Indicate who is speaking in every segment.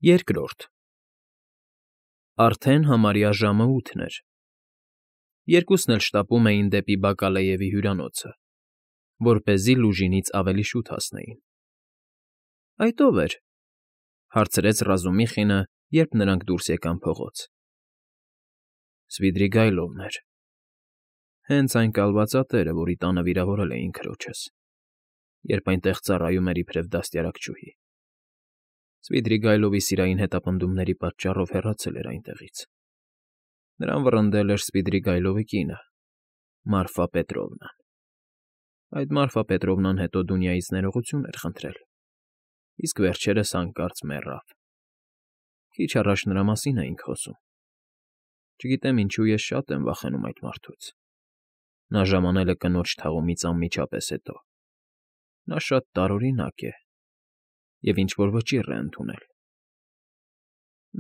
Speaker 1: Երկրորդ Արդեն համարյա ժամը 8 էր։ Երկուսն էլ շտապում էին դեպի Բակալեևի հյուրանոցը, որպեսզի լուժինից ավելի շուտ հասնեին։ ֊ Այդ ո՞վ էր,֊ հարցրեց Ռազումիխինը, երբ նրանք դուրս եկան փողոց։ ֊ Սվիդրիգայլովն էր, հենց այն կալվածատերը, որի տանը վիրավորել էին քրոջս, երբ այնտեղ ծառայում էր իբրև դաստիարակչուհի։ Սվիդրիգայլովի սիրային հետապնդումների պատճառով հեռացել էր այնտեղից։ Նրան վռնդել էր Սվիդրիգայլովի կինը՝ Մարֆա Պետրովնան։ Այդ Մարֆա Պետրովնան հետո Դունյայից ներողություն էր խնդրել, իսկ վերջերս հանկարծ մեռավ։ Քիչ առաջ նրա մասին էինք խոսում։ Չգիտեմ ինչու ես շատ եմ վախենում այդ մարդուց։ Նա ժամանել է կնոջ թաղումից անմիջապես հետո։ Նա շատ տարօրինակ է և ինչ֊որ վճիռ է ընդունել։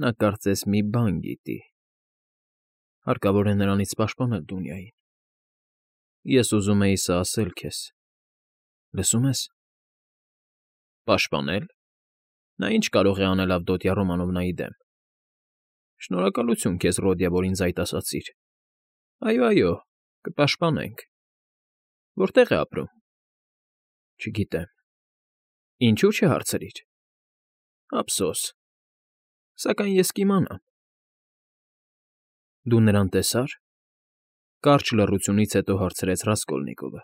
Speaker 1: Նա կարծես մի բան գիտի։ Հարկավոր է նրանից պաշտպանել Դունյային։ Ես ուզում էի սա ասել քեզ, լսում ես։ Պաշտպանել։ Նա ինչ կարող է անել Ավդոտյա Ռոմանովնայի դեմ։ Շնորհակալություն քեզ, Ռոդիա, որ ինձ այդ ասացիր։ Այո, կպաշտպանենք։ Որտե՞ղ է ապրում։ Չգիտեմ։ Ինչու՞ չհարցրիր։ Ափսոս։ Սակայն ես կիմանամ։ Դու նրան տեսա՞ր։ Կարճ լռությունից հետո հարցրեց Ռասկոլնիկովը։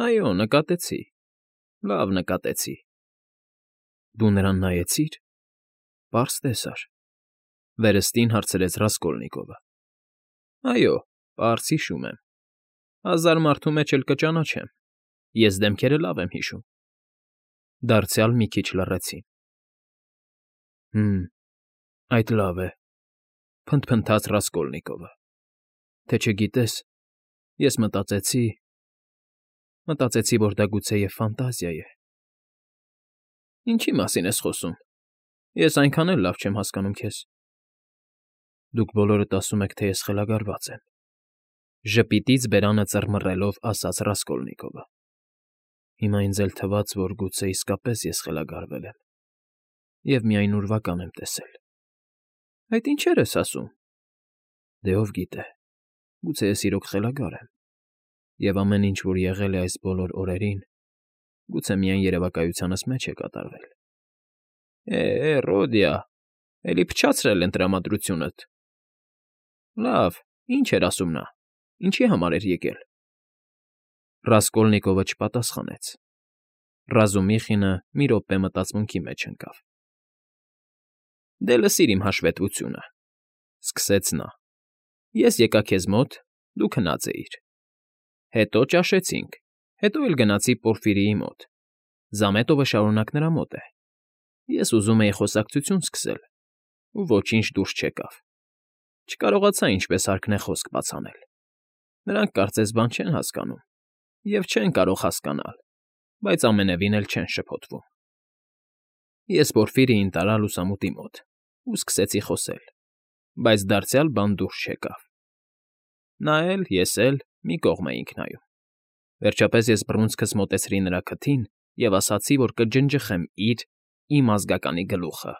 Speaker 1: Այո, նկատեցի։ Լավ նկատեցի։ Դու նրան նայեցի՞ր։ Պարզ տեսար։ Վերստին հարցրեց Ռասկոլնիկովը։ Այո, պարզ հիշում եմ։ Հազար մարդու մեջ էլ կճանաչեմ։ Ես դեմքերը լավ եմ հիշում։ Դարձյալ մի քիչ լռեցին։ Այդ լավ է,֊ փնթփնթաց Ռասկոլնիկովը, թե չգիտես, ես մտածեցի, որ դա գուցեև ֆանտազիա է։ Ինչի՞ մասին ես խոսում։ Ես այնքան էլ լավ չեմ հասկանում քեզ։ Դուք բոլորդ ասում եք, թե ես խելագարված եմ,֊ ժպիտից բերանը ծռմռելով ասաց Ռասկոլնիկովը։ Հիմա ինձ էլ թվաց, որ գուցե իսկապես ես խելագարվել եմ և միայն ուրվական եմ տեսել։ Այդ ինչեր ես ասում։ Դե ով գիտե, գուցե ես իրոք խելագար եմ, և ամեն ինչ, որ եղել է այս բոլոր օրերին, գուցե միայն երևակայությանս մեջ է կատարվել։ Ռոդիա, էլի փչացրել են տրամադրությունդ։ Լավ, ինչ էր ասում նա, ինչի համար էր եկել։ Ռասկոլնիկովը չպատասխանեց։ Ռազումիխինը մի րոպե մտածմունքի մեջ ընկավ։ Դե լսիր իմ հաշվետվությունը,֊ սկսեց նա։ Ես եկա քեզ մոտ, դու քնած էիր։ Հետո ճաշեցինք, հետո էլ գնացի Պորֆիրիի մոտ։ Զամետովը շարունակ նրա մոտ է։ Ես ուզում էի խոսակցություն սկսել, ու ոչինչ դուրս չեկավ։ Չկարողացա ինչպես հարկն է խոսք բաց անել։ Նրանք կարծես բան չեն հասկանում և չեն կարող հասկանալ, բայց ամենևին էլ չեն շփոթվում։ Ես Պորֆիրիին տարա լուսամուտի մոտ ու սկսեցի խոսել, բայց դարձյալ բան դուրս չեկավ։ Նա էլ, ես էլ մի կողմ էինք նայում։ Վերջապես ես բռունցքս մոտեցրի նրա քթին և ասացի, որ կջնջխեմ իմ ազգականի գլուխը։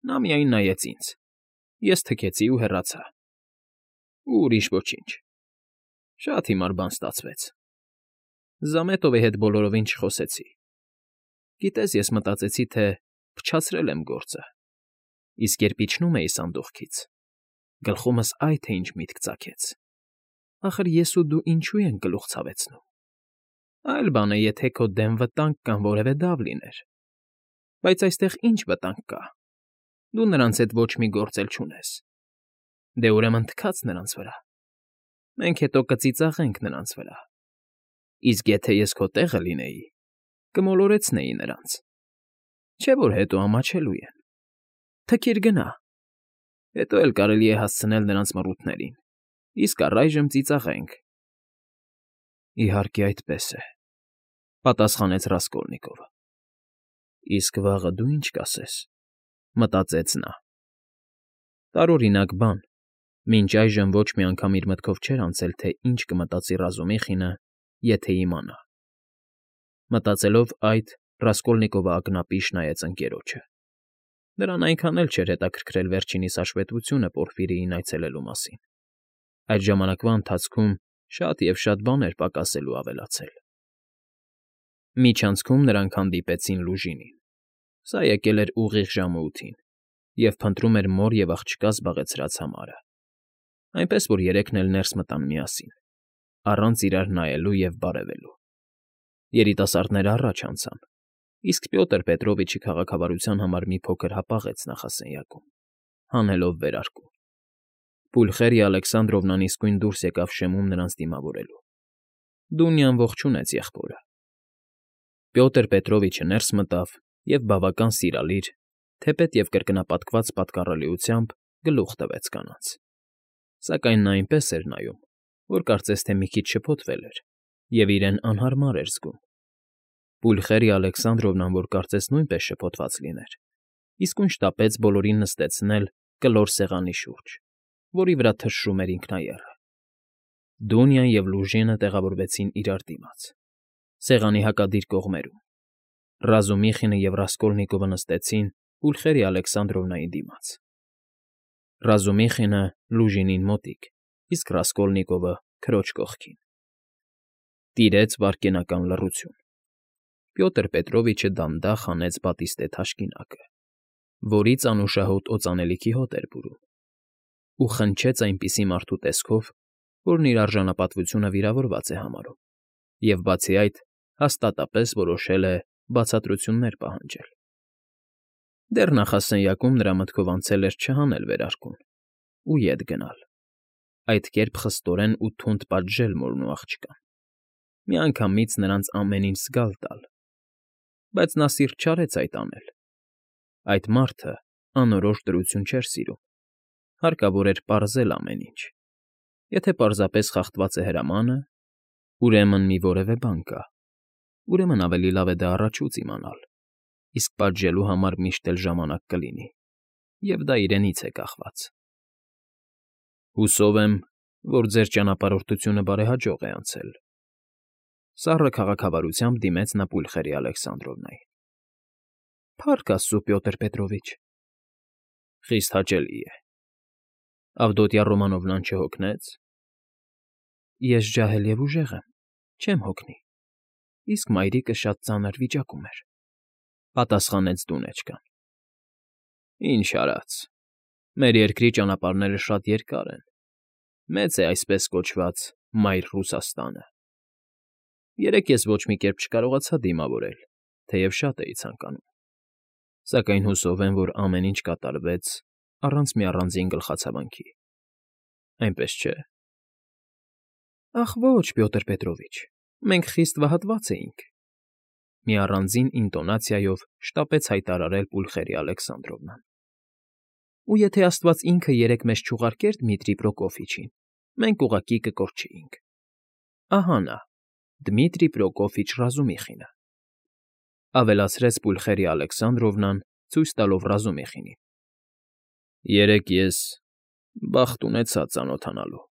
Speaker 1: Նա միայն նայեց ինձ։ Ես թքեցի ու հեռացա։ Ու ուրիշ ոչինչ։ Շատ հիմար բան ստացվեց։ Զամետովի հետ բոլորովին չխոսեցի։ Գիտես, ես մտածեցի, թե փչացրել եմ գործը, իսկ երբ իջնում էի սանդուղքից, գլխումս այ թե ինչ միտք ծագեց. ախր ես ու դու ինչու ենք գլուխ ցավեցնում։ Այլ բան է, եթե քո դեմ վտանգ կամ որևէ դավ լիներ։ Բայց այստեղ ինչ վտանգ կա։ Դու նրանց հետ ոչ մի գործ էլ չունես։ Դե ուրեմն թքած նրանց վրա։ Մենք հետո կծիծաղենք նրանց վրա։ Իսկ եթե ես քո տեղը լինեի, կմոլորեցնեի նրանց։ Չէ՞ որ հետո ամաչելու են։ Թքիր գնա։ Հետո էլ կարելի է հասցնել նրանց մռութներին, իսկ առայժմ ծիծաղենք։ Իհարկե, այդպես է,֊ պատասխանեց Ռասկոլնիկովը։ Իսկ վաղը դու ինչ կասես,֊ մտածեց նա։ Տարօրինակ բան, մինչ այժմ ոչ մի անգամ իր մտքով չէր անցել, թե ինչ կմտածի Ռազումիխինը, եթե իմանա։ Մտածելով այդ, Ռասկոլնիկովը ակնապիշ նայեց ընկերոջը։ Նրան այնքան էլ չէր հետաքրքրել վերջինիս հաշվետվությունը Պորֆիրիին այցելելու մասին. այդ ժամանակվա ընթացքում շատ և շատ բաներ պակասել ու ավելացել։ Միջանցքում նրանք հանդիպեցին Լուժինին։ Սա եկել էր ուղիղ ժամը 8-ին և փնտրում էր մոր և աղջկա զբաղեցրած համարը, այնպես որ երեքն էլ ներս մտան միասին, առանց իրար նայելու և բարևելու։ Երիտասարդները առաջ անցան, իսկ Պյոտր Պետրովիչի քաղաքավարության համար մի փոքր հապաղեց նախասենյակում, հանելով վերարկուն։ Պուլխերիա Ալեքսանդրովնան իսկույն դուրս եկավ շեմում նրանց դիմավորելու։ Դունյան ողջունեց եղբորը։ Պյոտր Պետրովիչը ներս մտավ և բավական սիրալիր, թեպետ և կրկնապատկված պատկառելիությամբ գլուխ տվեց կանանց։ Սակայն նա այնպես էր նայում, որ կարծես թե մի քիչ շփոթվել էր և իրեն անհարմար էր զգում։ Պուլխերիա Ալեքսանդրովնան, որ կարծես նույնպես շփոթված լիներ, իսկույն շտապեց բոլորին նստեցնել կլոր սեղանի շուրջ, որի վրա թշրում էր ինքնաեռը։ Դունյան և Լուժինը տեղավորվեցին իրար դիմաց, սեղանի հակադիր կողմերում։ Ռազումիխինը և Ռասկոլնիկովը նստեցին Պուլխերիա Ալեքսանդրովնայի դիմաց։ Ռազումիխինը Լուժինին մոտիկ, իսկ Ռասկոլնիկովը քրոջ կողքին։ Տիրեց վայրկենական լռություն։ Պյոտր Պետրովիչը դանդաղ հանեց բատիստե թաշկինակը, որից անուշահոտ օծանելիքի հոտ էր բուրում, ու խնչեց այնպիսի մարդու տեսքով, որն իր արժանապատվությունը վիրավորված է համարում, և բացի այդ հաստատապես որոշել է բացատրություններ պահանջել։ Դեռ նախասենյակում նրա մտքով անցել էր չհանել վերարկուն ու ետ գնալ, այդ կերպ խստորեն ու թունդ պատժել մորն ու աղջկան, միանգամից նրանց ամեն ինչ զգալ տալ։ Բայց նա սիրտ չարեց այդ անել։ Այդ մարդը անորոշ դրություն չէր սիրում, հարկավոր էր պարզել ամեն ինչ։ Եթե պարզապես խախտված է հրամանը, ուրեմն մի որևէ բան կա, ուրեմն ավելի լավ է դա առաջուց իմանալ, իսկ պատժելու համար միշտ էլ ժամանակ կլինի, և դա իրենից է կախված։ Հուսով եմ, որ ձեր ճանապարհորդությունը բարեհաջող է անցել։ Սառը քաղաքավարությամբ դիմեց նա Պուլխերիա Ալեքսանդրովնային։ Փառք աստծո, Պյոտր Պետրովիչ։ Խիստ հաճելի է։ Ավդոտյա Ռոմանովնան չհոգնեց։ Ես ջահել և ուժեղ եմ, չեմ հոգնի, իսկ մայրիկը շատ ծանր վիճակում էր, պատասխանեց դունեջկան։ Ինչ արած, մեր երկրի ճանապարհները շատ երկար են, մեծ է այսպես կոչված Մայր Ռուսաստանը։ Երեկ ես ոչ մի կերպ չկարողացա դիմավորել, թեև շատ էի ցանկանում, սակայն հուսով եմ, որ ամեն ինչ կատարվեց առանց մի առանձին գլխացավանքի, այնպես չէ։ Ախ ոչ, Պյոտր Պետրովիչ, մենք խիստ վհատված էինք, մի առանձին ինտոնացիայով շտապեց հայտարարել Պուլխերիա Ալեքսանդրովնան։ Ու եթե աստված ինքը երեկ մեզ չուղարկեր Դմիտրի Պրոկոֆիչին, մենք ուղղակի կկորչեինք։ Ահա նա, Դմիտրի Պրոկոֆիչ Ռազումիխինը, ավելացրեց Պուլխերիա Ալեքսանդրովնան, ցույց տալով Ռազումիխինին։ Երեկ ես բախտ ունեցա ծանոթանալու,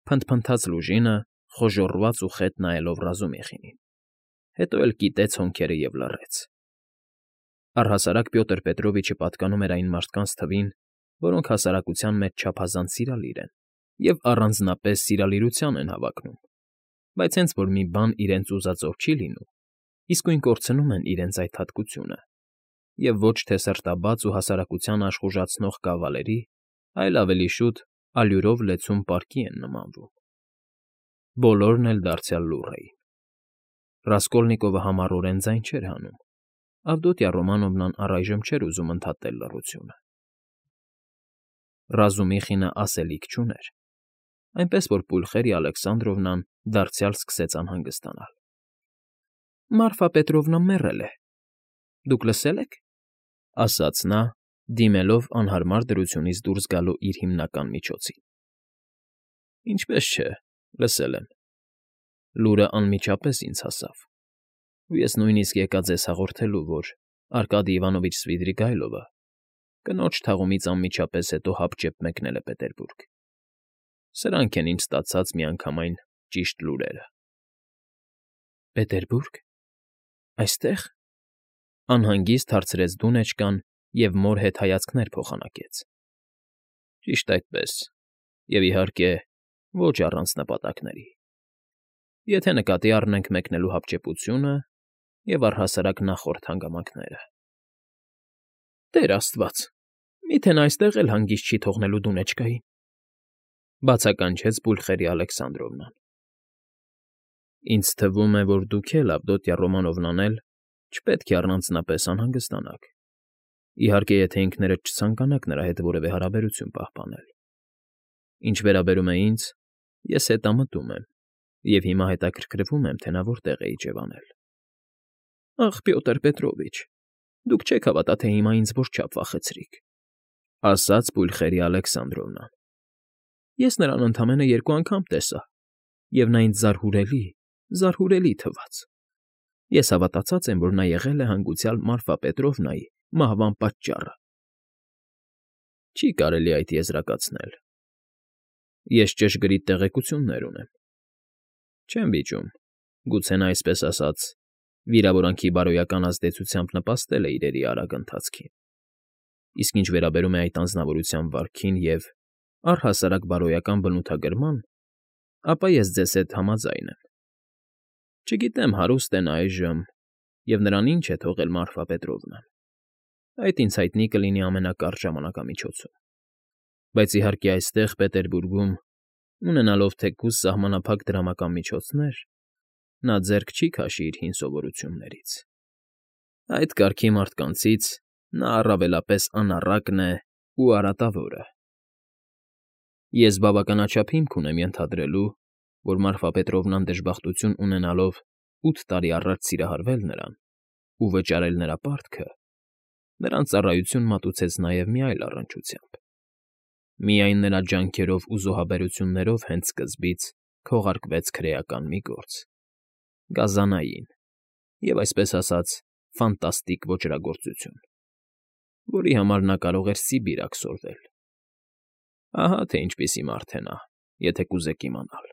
Speaker 1: փնթփնթաց Լուժինը, խոժոռված ու խետ նայելով Ռազումիխինին, հետո էլ կիտեց հոնքերը և լռեց։ Առհասարակ Պյոտր Պետրովիչը պատկանում էր այն մարդկանց թվին, որոնք հասարակության մեջ չափազանց սիրալիր են և առանձնապես սիրալիրության են հավակնում, բայց հենց որ մի բան իրենց ուզածով չի լինում, իսկույն կորցնում են իրենց այդ հատկությունը և ոչ թե սրտաբաց ու հասարակությանը աշխուժացնող կավալերի, այլ ավելի շուտ ալյուրով լեցուն պարկի են նմանվում։ Բոլորն էլ դարձյալ լուռ էին։ Ռասկոլնիկովը համառորեն ձայն չէր հանում, Ավդոտյա Ռոմանովնան առայժմ չէր ուզում ընդհատել լռությունը։ Ռազումիխինը ասելիք չուներ, այնպես որ Պուլխերիա Ալեքսանդրովնան դարձյալ սկսեց անհանգստանալ։ Մարֆա Պետրովնան մեռել է։ Դուք լսել եք, ասաց նա, դիմելով անհարմար դրությունից դուրս գալու իր հիմնական միջոցին։ Ինչպես չէ, լսել եմ։ Լուրը անմիջապես ինձ հասավ, ու ես նույնիսկ եկա ձեզ հաղորդելու, որ Արկադի Իվանովիչ Սվիդրիգայլովը կնոջ թաղումից անմիջապես հետո հապճեպ մեկնել է Պետերբուրգ։ Սրանք են ինձ ստացած միանգամայն ճիշտ լուրերը։ Պետերբուրգ։ Այստե՞ղ, անհանգիստ հարցրեց դունեջկան և մոր հետ հայացքներ փոխանակեց։ Ճիշտ այդպես, և, իհարկե, ոչ առանց նպատակների, եթե նկատի առնենք մեկնելու հապճեպությունը և առհասարակ նախորդ հանգամանքները։ Տեր աստված, միթե նա այստեղ էլ հանգիստ չի թողնելու դունեջկային,֊ բացականչեց Պուլխերիա Ալեքսանդրովնան։ Ինձ թվում է, որ դուք էլ, Ավդոտյա Ռոմանովնան էլ, չպետք է առանձնապես անհանգստանաք, իհարկե, եթե ինքներդ չցանկանաք նրա հետ որևէ հարաբերություն պահպանել։ Ինչ վերաբերում է ինձ, ես հետամտում եմ և հիմա հետաքրքրվում եմ, թե նա որտեղ է իջևանել։ Ախ, Պյոտր Պետրովիչ, դուք չեք հավատա, թե հիմա ինձ որչափ վախեցրիք,֊ ասաց Պուլխերիա Ալեքսանդրովնան։ Ես նրան ընդամենը 2 անգամ տեսա, և նա ինձ զարհուրելի թվաց։ Ես հավատացած եմ, որ նա եղել է հանգուցյալ Մարֆա Պետրովնայի մահվան պատճառը։ Չի կարելի այդ եզրակացնել։ Ես ճշգրիտ տեղեկություններ ունեմ։ Չեմ վիճում, գուցե նա, այսպես ասած, վիրավորանքի բարոյական ազդեցությամբ նպաստել է իրերի արագ ընթացքին։ Իսկ ինչ վերաբերում է այդ անձնավորության վարքին և, առհասարակ, բարոյական բնութագրման, ապա ես ձեզ հետ համաձայն եմ։ Չգիտեմ հարուստ է նա այժմ, և նրան ինչ է թողել Մարֆա Պետրովնան, այդ ինձ հայտնի կլինի ամենակարճ ժամանակամիջոցում, բայց, իհարկե, այստեղ, Պետերբուրգում, ունենալով թեկուզ սահմանափակ դրամական միջոցներ, նա ձեռք չի քաշի իր հին սովորույթներից։ Այդ կարգի մարդկանցից նա առավելապես անառակն է ու արատավորը։ Ես բավականաչափ հիմք ունեմ ենթադրելու, որ Մարֆա Պետրովնան դժբախտություն ունենալով 8 տարի առաջ սիրահարվել նրան ու վճարել նրա պարտքը, նրան ծառայություն մատուցեց նաև մի այլ առնչությամբ։ Միայն նրա ջանքերով ու զոհաբերություններով հենց սկզբից քողարկվեց քրեական մի գործ՝ գազանային և, այսպես ասած, ֆանտաստիկ ոճրագործություն, որի համար նա կարող էր Սիբիր աքսորվել։ Ահա թե ինչպիսի մարդ է նա, եթե կուզեք իմանալ։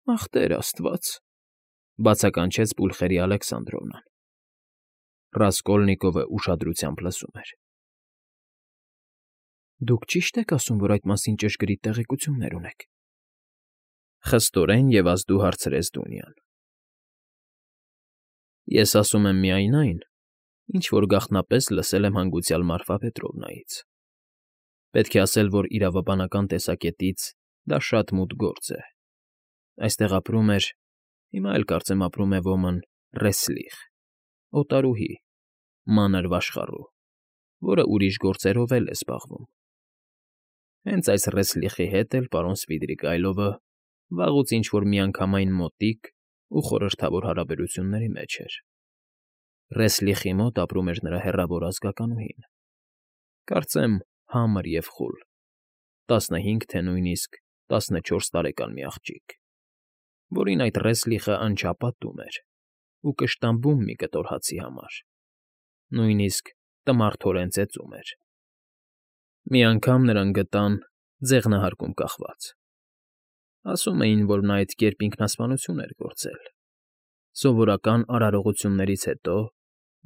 Speaker 1: Ախ, Տեր աստված,֊ բացականչեց Պուլխերիա Ալեքսանդրովնան։ Ռասկոլնիկովը ուշադրությամբ լսում էր։ Դուք ճի՞շտ եք ասում, որ այդ մասին ճշգրիտ տեղեկություններ ունեք,֊ խստորեն և ազդու հարցրեց Դունյան։ Ես ասում եմ միայն այն, ինչ որ գաղտնապես լսել եմ հանգուցյալ Մարֆա Պետրովնայից։ Պետք է ասել, որ իրավաբանական տեսակետից դա շատ մութ գործ է։ Այստեղ ապրում էր, հիմա էլ կարծեմ ապրում է ոմն Ռեսլիխ, օտարուհի, մանր վաշխառու, որը ուրիշ գործերով էլ է զբաղվում։ Հենց այս Ռեսլիխի հետ էլ պարոն Սվիդրիգայլովը վաղուց ինչ֊որ միանգամայն մոտիկ ու խորհրդավոր հարաբերությունների մեջ էր։ Ռեսլիխի մոտ ապրում էր նրա հեռավոր ազգականուհին, կարծեմ համր և խուլ, 15 թե նույնիսկ 14 տարեկան մի աղջիկ, որին այդ Ռեսլիխը անչափ էր ու կշտամբում մի կտոր հացի համար, նույնիսկ տմարդորեն ծեծում էր։ Մի անգամ նրան գտան ձեղնահարկում կախված։ Ասում էին, որ նա այդ կերպ ինքնասպանություն էր գործել։ Սովորական արարողություններից հետո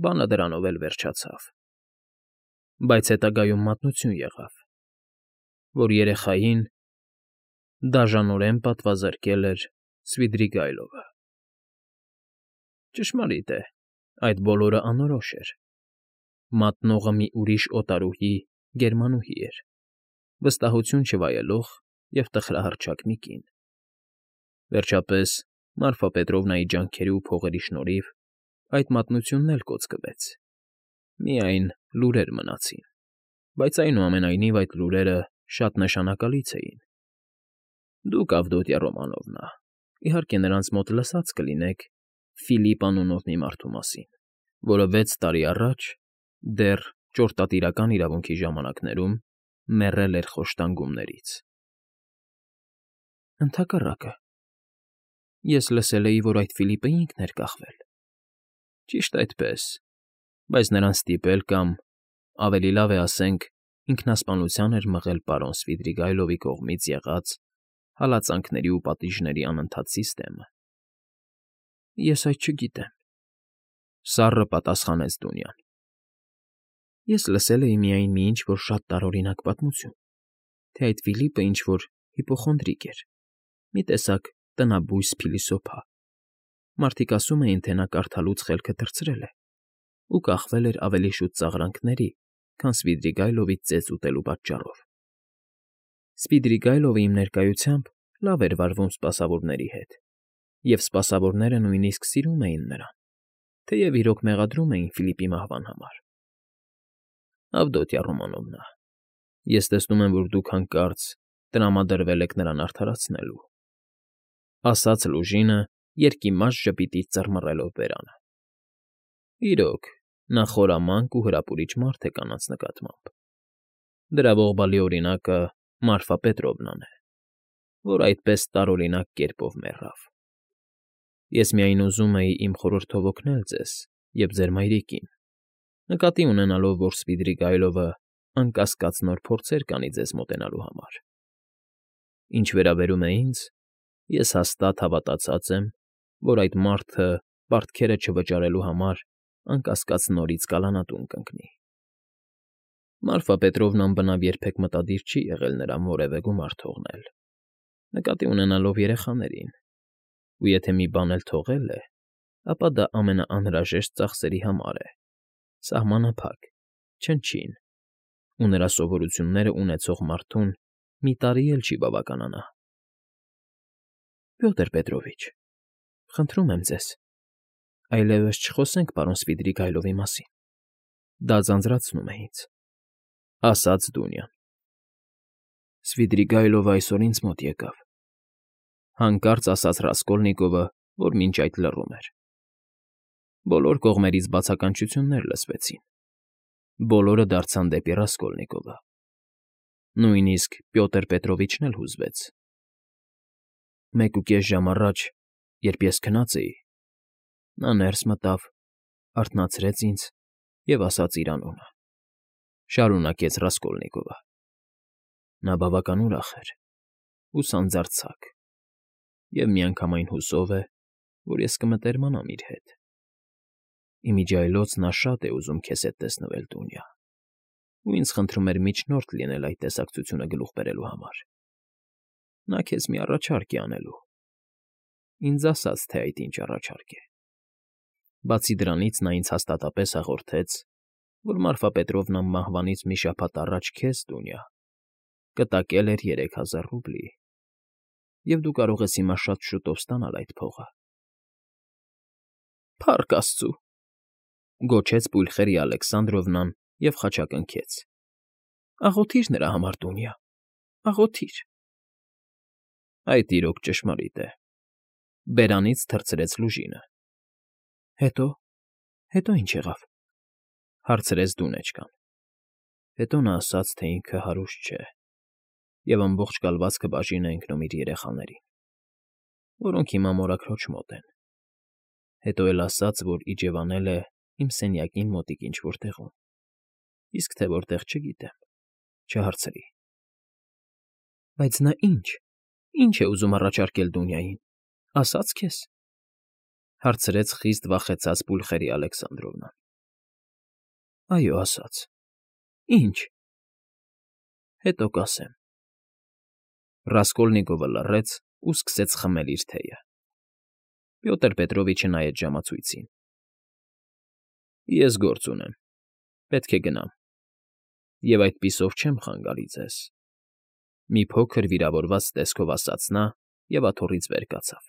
Speaker 1: բանը դրանով էլ վերջացավ։ Բայց հետագայում մատնություն եղավ, որ երեխային դաժանորեն պատվազրկել էր Սվիդրիգայլովը։ Ճշմարիտ է, այդ բոլորը անորոշ էր։ Մատնողը մի ուրիշ օտարուհի գերմանուհի էր, վստահություն չվայելող և տխրահռչակ մի կին։ Վերջապես, Մարֆա Պետրովնայի ջանքերի ու փողերի շնորհիվ այդ մատնությունն էլ կոծկվեց։ Միայն լուրեր մնացին, բայց, այնուամենայնիվ, այդ լուրերը շատ նշանակալից էին։ Դուք, Ավդոտյա Ռոմանովնա, իհարկե նրանց մոտ լսած կլինեք Ֆիլիպ անունով մի մարդու մասին, որը 6 տարի առաջ, դեռ ճորտատիրական իրավունքի ժամանակներում, մեռել էր խոշտանգումներից։ Ընդհակառակը, ես լսել էի, որ այդ Ֆիլիպը ինքն էր կախվել։ Ճիշտ այդպես, բայց նրան ստիպել կամ, ավելի լավ է ասենք, ինքնասպանության էր մղել պարոն Սվիդրիգայլովի կողմից եղած հալածանքների ու պատիժների անընդհատ սիստեմը։ Ես այդ չգիտեմ,֊ սառը պատասխանեց Դունյան։ Ես լսել էի միայն մի ինչ-որ շատ տարօրինակ պատմություն, թե այդ Ֆիլիպը ինչ֊որ հիպոխոնդրիկ էր, մի տեսակ տնաբույս փիլիսոփա։ Մարդիկ ասում էին, թե նա կարդալուց խելքը թռցրել է ու կախվել էր ավելի շուտ ծաղրանքների, քան Սվիդրիգայլովից ծեծ ուտելու պատճառով։ Սպիդրիգայլովը իմ ներկայությամբ լավ էր վարվում սպասավորների հետ, և սպասավորները նույնիսկ սիրում էին նրան, թեև իրոք մեղադրում էին Ֆիլիպի մահվան համար։ Ավդոտյա Ռոմանովնա, ես տեսնում եմ, որ դուք հանկարծ տրամադրվել եք նրան արդարացնելու,֊ ասաց Լուժինը, երկիմաց ժպիտից ծռմռելով բերանը։ Իրոք, նա խորամանկ ու հրապուրիչ մարդ է կանանց նկատմամբ։ Դրա ողբալի օրինակը Մարֆա Պետրովնան է, որ այդպես տարօրինակ կերպով մեռավ։ Ես միայն ուզում էի իմ խորհրդով օգնել ձեզ և ձեր մայրիկին, նկատի ունենալով, որ Սպիդրիգայլովը անկասկած նոր փորձեր կանի ձեզ մոտենալու համար։ Ինչ վերաբերում է ինձ, ես հաստատ հավատացած եմ, որ այդ մարդը պարտքերը չվճարելու համար անկասկած նորից կալանատուն կընկնի։ Մարֆա Պետրովնան բնավ երբեք մտադիր չի եղել նրան որևէ գումար թողնել, նկատի ունենալով երեխաներին, ու եթե մի բան էլ թողել է, ապա դա ամենաանհրաժեշտ ծախսերի համար է, սահմանափակ, չնչին, ու նրա սովորությունները ունեցող մարդուն մի տարի էլ չի բավականանա։ Պյոտր Պետրովիչ, խնդրում եմ ձեզ, այլևս չխոսենք պարոն Սվիդրիգայլովի մասին, դա ձանձրացնում է ինձ, ասաց Դունյան։ Սվիդրիգայլովը այսօր ինձ մոտ եկավ, հանկարծ ասաց Ռասկոլնիկովը, որ մինչ այդ լռում էր։ Բոլոր կողմերից բացականչություններ լսվեցին, բոլորը դարձան դեպի Ռասկոլնիկովը, նույնիսկ Պյոտր Պետրովիչն էլ հուզվեց։ 1.5 ժամ առաջ, երբ ես քնած էի, նա ներս մտավ, արթնացրեց ինձ և ասաց իր անունը,֊ շարունակեց Ռասկոլնիկովը։ Նա բավական ուրախ էր ու սանձարձակ և միանգամայն հուսով է, որ ես կմտերմանամ իր հետ։ Իմիջիայլոց նա շատ է ուզում քեզ հետ տեսնվել, Դունյա, ու ինձ խնդրում էր միջնորդ լինել այդ տեսակցությունը գլուխ բերելու համար։ Նա քեզ մի առաջարկ է անելու։ Ինձ ասաց, թե այդ ինչ առաջարկ է։ Բացի դրանից նա ինձ հաստատապես հաղորդեց, որ Մարֆա Պետրովնան մահվանից մի շաբաթ առաջ քեզ, Դունյա, կտակել էր 3000 ռուբլի, և դու կարող ես հիմա շատ շուտով ստանալ այդ փողը։ Փառք աստծո,֊ գոչեց Պուլխերիա Ալեքսանդրովնան և խաչակնքեց,֊ աղոթիր նրա համար, Դունյա, աղոթիր։ Այդ իրոք ճշմարիտ է,֊ բերանից թռցրեց Լուժինը։ Հետո ինչ եղավ,֊ հարցրեց Դունեչկան։ Հետո նա ասաց, թե ինքը հարուստ չէ և ամբողջ կալվածքը բաժին է ընկնում իր երեխաներին, որոնք հիմա մորաքրոջ մոտ են։ Հետո էլ ասաց, որ իջևանել է իմ սենյակին մոտիկ ինչ֊որ տեղում, իսկ թե որտեղ չգիտեմ, չհարցրի։ Բայց նա ինչ է ուզում առաջարկել Դունյային, ասա՞ց քեզ,֊ հարցրեց խիստ վախեցած Պուլխերիա Ալեքսանդրովնան։ Այո, ասաց։ Ինչ։ Հետո կասեմ։ Ռասկոլնիկովը լռեց ու սկսեց խմել իր թեյը։ Պյոտր Պետրովիչը նայեց ժամացույցին։ Ես գործ ունեմ, պետք է գնամ, և այդպիսով չեմ խանգարի ձեզ,֊ մի փոքր վիրավորված տեսքով ասաց նա և աթոռից վեր կացավ։